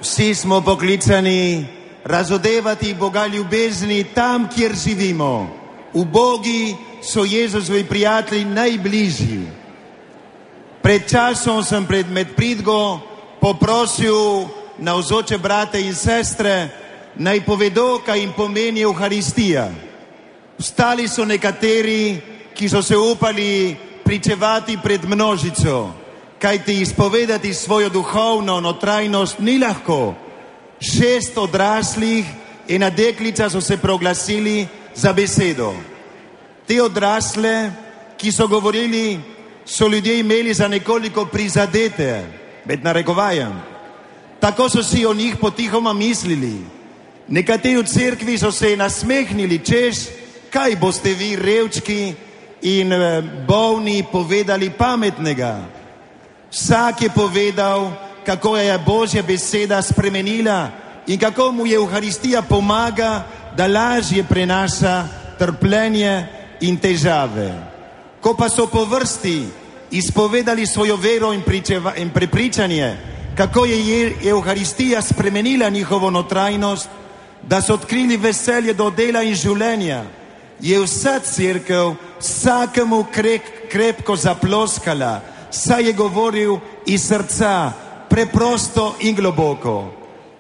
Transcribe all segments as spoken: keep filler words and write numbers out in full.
Vsi smo poklicani razodevati Boga ljubezni tam, kjer živimo. Ubogi so Jezusovi prijatelji najbližji. Pred časom sem pred medpridgo poprosil navzoče brate in sestre, naj povedo, kaj jim pomeni Euharistija. Vstali so nekateri, ki so se upali pričevati pred množico, kajti izpovedati svojo duhovno notrajnost ni lahko. Šest odraslih in ena deklica so se proglasili za besedo. Te odrasle, ki so govorili, so ljudje imeli za nekoliko prizadete, med narekovajem. Tako so si o njih potihoma mislili. Nekateri v cerkvi so se nasmehnili, češ, kaj boste vi revčki in bolni povedali pametnega. Vsak je povedal, kako je Božja beseda spremenila in kako mu je Euharistija pomaga, da lažje prenaša trpljenje in težave. Ko pa so po vrsti izpovedali svojo vero in, pričeva, in prepričanje, kako je Euharistija spremenila njihovo notrajnost, da so odkrili veselje do dela in življenja, je vsa cerkev vsakemu krep, krepko zaploskala, saj je govoril iz srca, preprosto in globoko.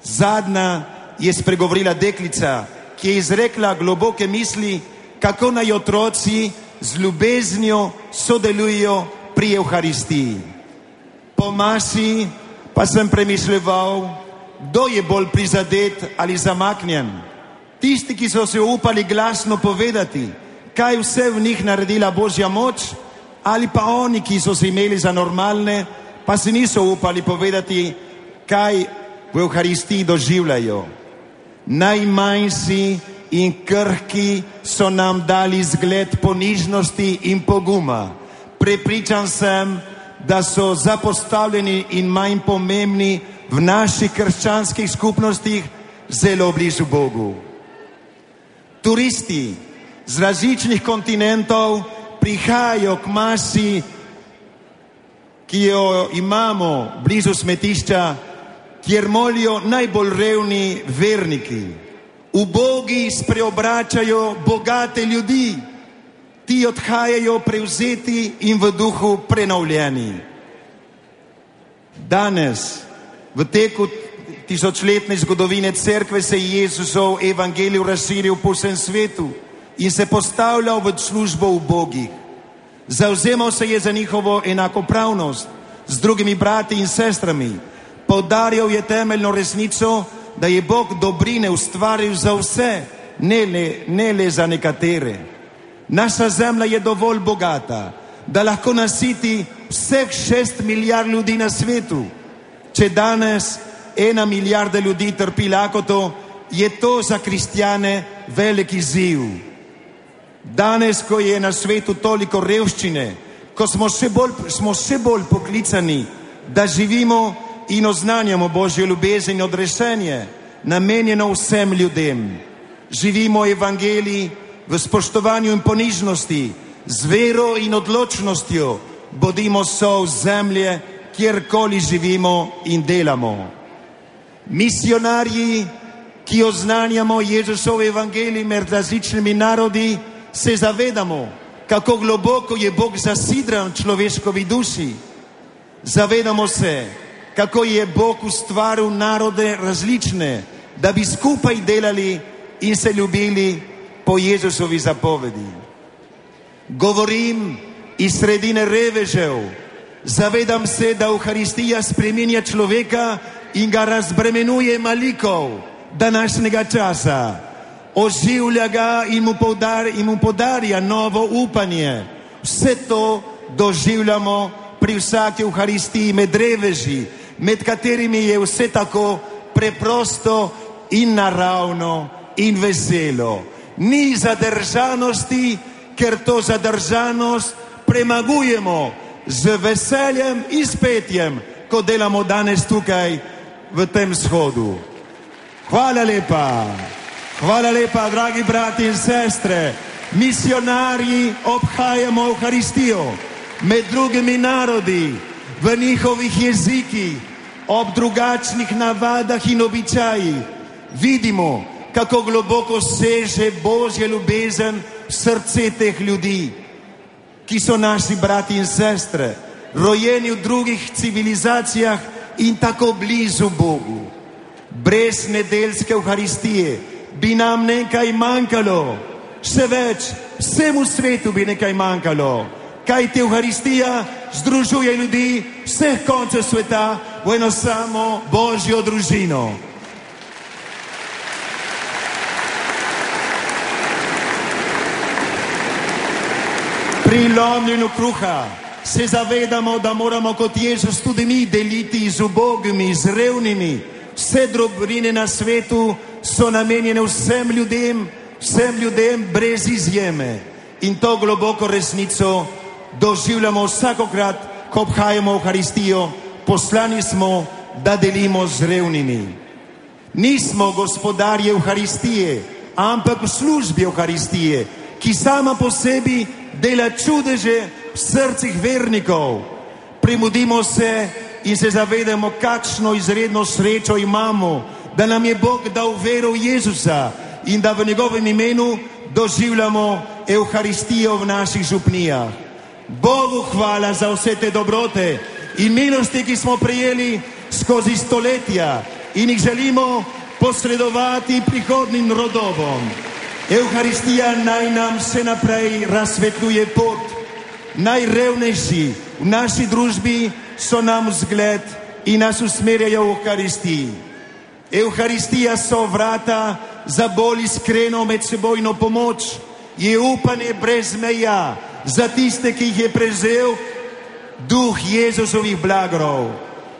Zadnja je spregovorila deklica, ki je izrekla globoke misli, kako naj otroci z ljubeznijo sodelujo pri Euharistiji. Po maši pa sem premišljeval, kdo je bolj prizadet ali zamaknjen. Tisti, ki so se upali glasno povedati, kaj vse v njih naredila Božja moč, ali pa oni, ki so se imeli za normalne, pa se niso upali povedati, kaj v Euharistiji doživljajo. Najmanjši in krhki so nam dali zgled ponižnosti in poguma. Prepričan sem, da so zapostavljeni in manj pomembni v naših krščanskih skupnostih zelo blizu Bogu. Turisti z različnih kontinentov prihajajo k maši, ki jo imamo blizu smetišča, kjer molijo najbolj revni verniki. Ubogi spreobračajo bogate ljudi, ti odhajajo prevzeti in v duhu prenovljeni. Danes, v teku tisočletne zgodovine cerkve, se je Jezusov evangelij razširil po vsem svetu in se postavljal v službo ubogih. Zavzemal se je za njihovo enakopravnost z drugimi brati in sestrami. Poudarjal je temeljno resnico, da je Bog dobrine ustvaril za vse, ne le, ne le za nekatere. Naša zemlja je dovolj bogata, da lahko nasiti vseh šest milijard ljudi na svetu. Če danes ena milijarda ljudi trpi lakoto, je to za kristjane velik izziv. Danes, ko je na svetu toliko revščine, ko smo še bolj, smo še bolj poklicani, da živimo in oznanjamo Božjo ljubezen in odrešenje, namenjeno vsem ljudem. Živimo evangelij v spoštovanju in ponižnosti, z vero in odločnostjo, bodimo sol zemlje, kjerkoli živimo in delamo. Misionarji, ki oznanjamo Jezusov evangelij med različnimi narodi, se zavedamo, kako globoko je Bog zasidran v človeškovi duši. Zavedamo se, kako je Bog ustvaril narode različne, da bi skupaj delali in se ljubili po Jezusovi zapovedi. Govorim iz sredine revežev. Zavedam se, da Euharistija spreminja človeka in ga razbremenuje malikov današnjega časa. Oživlja ga in mu, podar, in mu podarja novo upanje. Vse to doživljamo pri vsaki Euharistiji med reveži, med katerimi je vse tako preprosto in naravno in veselo. Ni zadržanosti, ker to zadržanost premagujemo z veseljem in spetjem, ko delamo danes tukaj v tem shodu. Hvala lepa. Hvala lepa, dragi brati in sestre. Misionarji obhajamo Euharistijo med drugimi narodi, v njihovih jezikih ob drugačnih navadah in običajih vidimo, kako globoko seže Božja ljubezen v srce teh ljudi, ki so naši brati in sestre, rojeni v drugih civilizacijah in tako blizu Bogu. Brez nedeljske Evharistije bi nam nekaj manjkalo, še več, vsemu svetu bi nekaj manjkalo, kajti Evharistija združuje ljudi vseh koncev sveta v eno samo Božjo družino. Pri lomljenju kruha se zavedamo, da moramo kot Jezus tudi mi deliti z ubogimi, z revnimi. Vse dobrine na svetu so namenjene vsem ljudem, vsem ljudem brez izjeme. In to globoko resnico doživljamo vsakokrat, ko obhajamo Evharistijo. Poslani smo, da delimo z revnimi. Nismo gospodarji Evharistije, ampak v službi Evharistije, ki sama po sebi dela čudeže v srcih vernikov. Primudimo se in se zavedamo, kakšno izredno srečo imamo, da nam je Bog dal vero v Jezusa in da v njegovem imenu doživljamo Evharistijo v naših župnijah. Bogu hvala za vse te dobrote in milosti, ki smo prejeli skozi stoletja in jih želimo posredovati prihodnim rodovom. Evharistija naj nam še naprej razsvetljuje pot. Najrevnejši v naši družbi so nam zgled in nas usmerjajo v Evharistiji. Evharistija so vrata za bolj iskreno medsebojno pomoč, je upanje brez meja za tiste, ki jih je prevzel duh Jezusovih blagrov.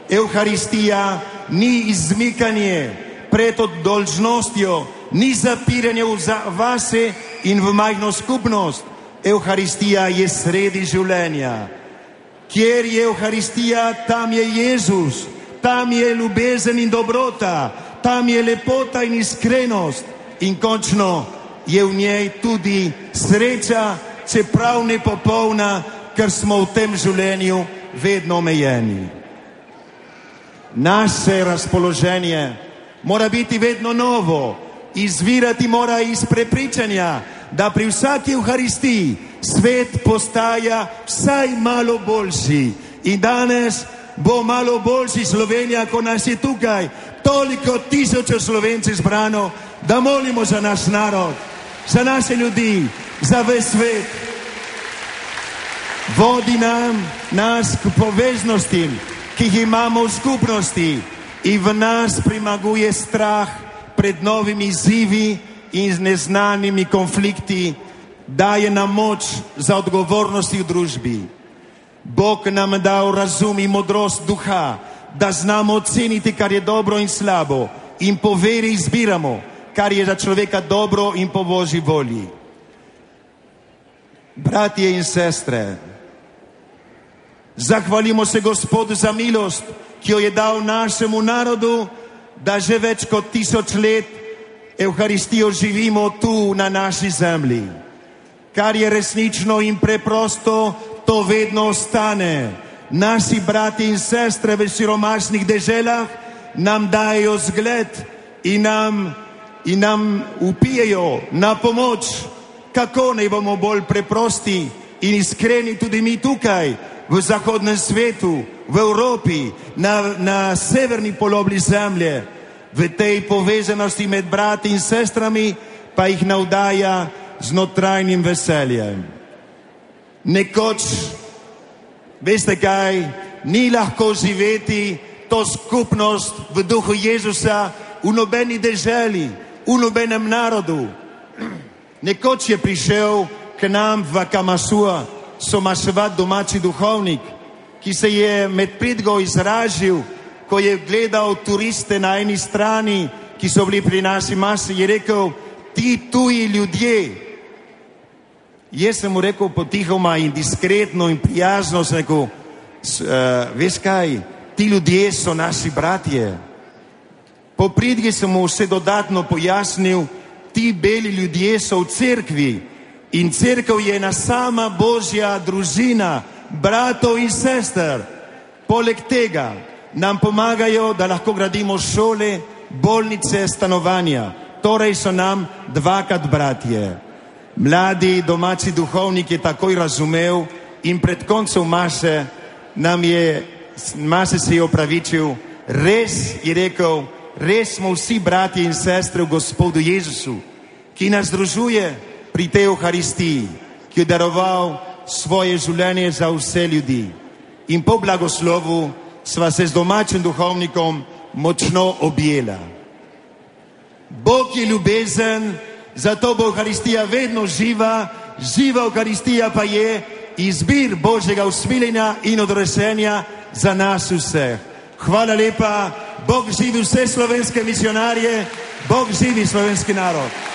Evharistija ni izmikanje pred dolžnostjo, ni zapiranje v vase in v majhno skupnost. Evharistija je sredi življenja. Kjer je Evharistija, tam je Jezus, tam je ljubezen in dobrota, tam je lepota in iskrenost in končno je v njej tudi sreča, čeprav nepopolna, ker smo v tem življenju vedno omejeni. Naše razpoloženje mora biti vedno novo, izvirati mora iz prepričanja, da pri vsaki Evharistiji svet postaja vsaj malo boljši. In danes bo malo boljši Slovenija, ko nas je tukaj toliko tisočev Slovencev zbrano, da molimo za naš narod, za naše ljudi, za ves svet. Vodi nam nas k poveznostim, ki jih imamo v skupnosti in v nas premaguje strah pred novimi izzivi in z neznanimi konflikti, daje nam moč za odgovornosti v družbi. Bog nam dal razum in modrost duha, da znamo oceniti, kar je dobro in slabo in po veri izbiramo, kar je za človeka dobro in po Božji volji. Bratje in sestre, zahvalimo se Gospodu za milost, ki jo je dal našemu narodu, da že več kot tisoč let Evharistijo živimo tu na naši zemlji. Kar je resnično in preprosto, to vedno ostane. Naši brati in sestre v siromašnih deželah nam dajo zgled in nam, in nam upijejo na pomoč, kako naj bomo bolj preprosti in iskreni tudi mi tukaj v zahodnem svetu, v Evropi, na, na severni polobli zemlje. V tej povezanosti med brati in sestrami pa jih navdaja z notrajnim veseljem. Nekoč, veste kaj, ni lahko živeti to skupnost v duhu Jezusa v nobeni deželi, v nobenem narodu. Nekoč je prišel k nam v Kamasua somaševat domači duhovnik, ki se je med pridgo izražil, ko je gledal turiste na eni strani, ki so bili pri naši masi, je rekel, ti tuji ljudje. Jaz sem mu rekel potihoma in diskretno in prijazno, sem rekel, uh, veš kaj, ti ljudje so naši bratje. Po pridgi sem mu vse dodatno pojasnil, ti beli ljudje so v cerkvi in cerkev je ena sama Božja družina, bratov in sester. Poleg tega nam pomagajo, da lahko gradimo šole, bolnice, stanovanja. Torej so nam dvakrat bratje. Mladi domači duhovnik je takoj razumel in pred koncem mase nam je, mase se je opravičil, res je rekel, res smo vsi bratje in sestre v Gospodu Jezusu, ki nas združuje pri tej Euharistiji, ki je daroval svoje življenje za vse ljudi. In po blagoslovu sva se z domačim duhovnikom močno objela. Bog je ljubezen, zato bo Euharistija vedno živa, živa Euharistija pa je izbir Božjega usmiljenja in odrešenja za nas vseh. Hvala lepa, Bog živi vse slovenske misionarje, Bog živi slovenski narod.